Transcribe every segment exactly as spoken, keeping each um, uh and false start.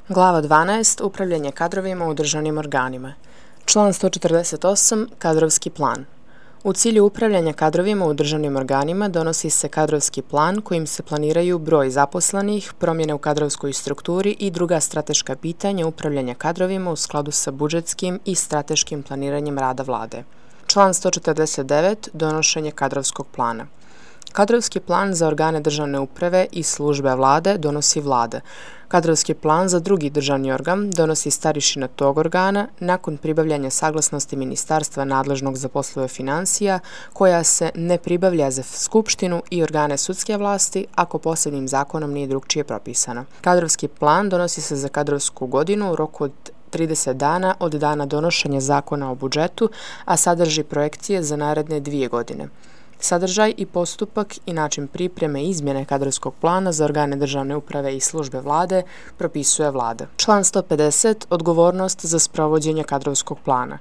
Glava dvanaest. Upravljanje kadrovima u državnim organima. Član sto četrdeset osam. Kadrovski plan. U cilju upravljanja kadrovima u državnim organima donosi se kadrovski plan kojim se planiraju broj zaposlenih, promjene u kadrovskoj strukturi i druga strateška pitanja upravljanja kadrovima u skladu sa budžetskim i strateškim planiranjem rada vlade. Član sto četrdeset devet. Donošenje kadrovskog plana. Kadrovski plan za organe državne uprave i službe vlade donosi vlada. Kadrovski plan za drugi državni organ donosi starješina tog organa nakon pribavljanja saglasnosti ministarstva nadležnog za poslove financija, koja se ne pribavlja za skupštinu i organe sudske vlasti ako posebnim zakonom nije drugčije propisano. Kadrovski plan donosi se za kadrovsku godinu u roku od trideset dana od dana donošenja zakona o budžetu, a sadrži projekcije za naredne dvije godine. Sadržaj i postupak i način pripreme i izmjene kadrovskog plana za organe državne uprave i službe vlade propisuje vlada. Član sto pedeset. Odgovornost za sprovođenje kadrovskog plana.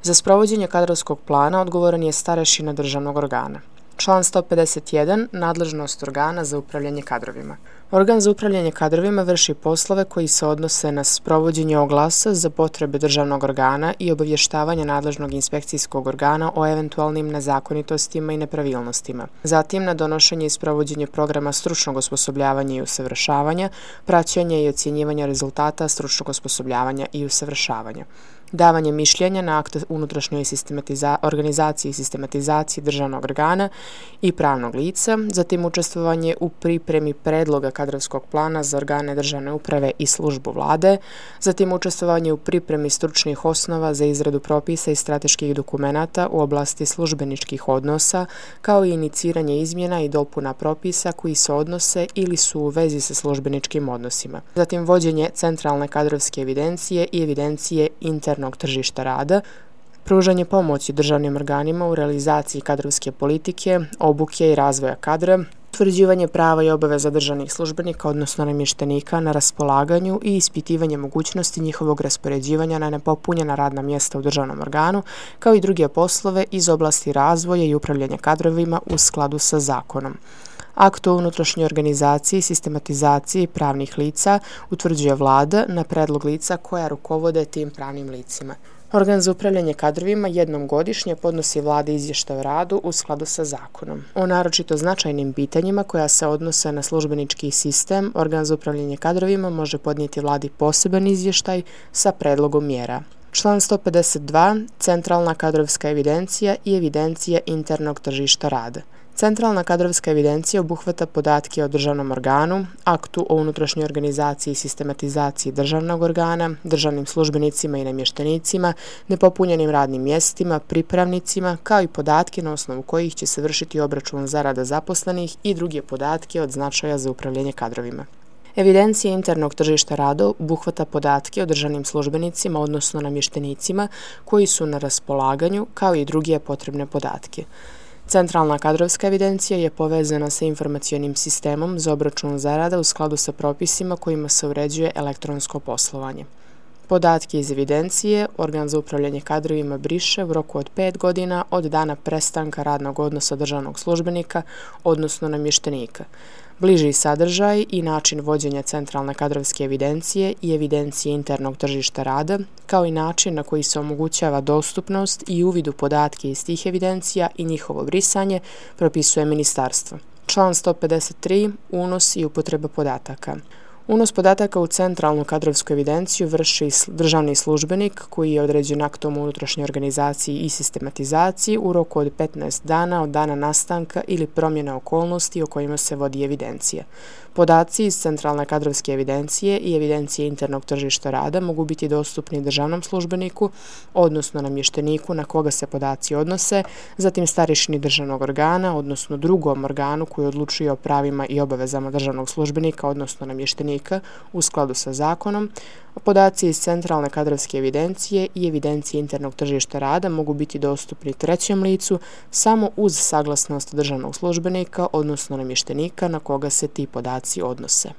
Za sprovođenje kadrovskog plana odgovoran je starešina državnog organa. Član sto pedeset jedan. Nadležnost organa za upravljanje kadrovima. Organ za upravljanje kadrovima vrši poslove koji se odnose na sprovođenje oglasa za potrebe državnog organa i obavještavanje nadležnog inspekcijskog organa o eventualnim nezakonitostima i nepravilnostima. Zatim na donošenje i sprovođenje programa stručnog osposobljavanja i usavršavanja, praćenje i ocjenjivanje rezultata stručnog osposobljavanja i usavršavanja. Davanje mišljenja na akte unutrašnjoj sistematiza- organizaciji i sistematizaciji državnog organa i pravnog lica, zatim učestvovanje u pripremi predloga kadrovskog plana za organe državne uprave i službu vlade, zatim učestvovanje u pripremi stručnih osnova za izradu propisa i strateških dokumenata u oblasti službeničkih odnosa, kao i iniciranje izmjena i dopuna propisa koji se odnose ili su u vezi sa službeničkim odnosima. Zatim vođenje centralne kadrovske evidencije i evidencije internog tržišta rada, pružanje pomoći državnim organima u realizaciji kadrovske politike, obuke i razvoja kadra, utvrđivanje prava i obaveza državnih službenika, odnosno namještenika na raspolaganju i ispitivanje mogućnosti njihovog raspoređivanja na nepopunjena radna mjesta u državnom organu, kao i druge poslove iz oblasti razvoja i upravljanja kadrovima u skladu sa zakonom. Akt o unutrašnjoj organizaciji i sistematizaciji pravnih lica utvrđuje vlada na predlog lica koja rukovode tim pravnim licima. Organ za upravljanje kadrovima jednom godišnje podnosi vladi izvještaj o radu u skladu sa zakonom. O naročito značajnim pitanjima koja se odnose na službenički sistem, organ za upravljanje kadrovima može podnijeti vladi poseban izvještaj sa predlogom mjera. Član sto pedeset dva. Centralna kadrovska evidencija i evidencija internog tržišta rada. Centralna kadrovska evidencija obuhvata podatke o državnom organu, aktu o unutrašnjoj organizaciji i sistematizaciji državnog organa, državnim službenicima i namještenicima, nepopunjenim radnim mjestima, pripravnicima, kao i podatke na osnovu kojih će se vršiti obračun zarada zaposlenih i druge podatke od značaja za upravljanje kadrovima. Evidencija internog tržišta rada obuhvata podatke o državnim službenicima, odnosno namještenicima, koji su na raspolaganju, kao i druge potrebne podatke. Centralna kadrovska evidencija je povezana sa informacionim sistemom za obračun zarada u skladu sa propisima kojima se uređuje elektronsko poslovanje. Podatke iz evidencije organ za upravljanje kadrovima briše u roku od pet godina od dana prestanka radnog odnosa državnog službenika, odnosno namještenika. Bliži sadržaj i način vođenja centralne kadrovske evidencije i evidencije internog tržišta rada, kao i način na koji se omogućava dostupnost i uvid u podatke iz tih evidencija i njihovo brisanje, propisuje ministarstvo. Član sto pedeset tri. Unos i upotreba podataka. Unos podataka u centralnu kadrovsku evidenciju vrši državni službenik koji je određen aktom o unutrašnjoj organizaciji i sistematizaciji u roku od petnaest dana od dana nastanka ili promjene okolnosti o kojima se vodi evidencija. Podaci iz centralne kadrovske evidencije i evidencije internog tržišta rada mogu biti dostupni državnom službeniku, odnosno namješteniku na koga se podaci odnose, zatim starješini državnog organa, odnosno drugom organu koji odlučuje o pravima i obavezama državnog službenika, odnosno namještenika u skladu sa zakonom. Podaci iz centralne kadrovske evidencije i evidencije internog tržišta rada mogu biti dostupni trećem licu samo uz saglasnost državnog službenika, odnosno namještenika na koga se ti podaci odnose.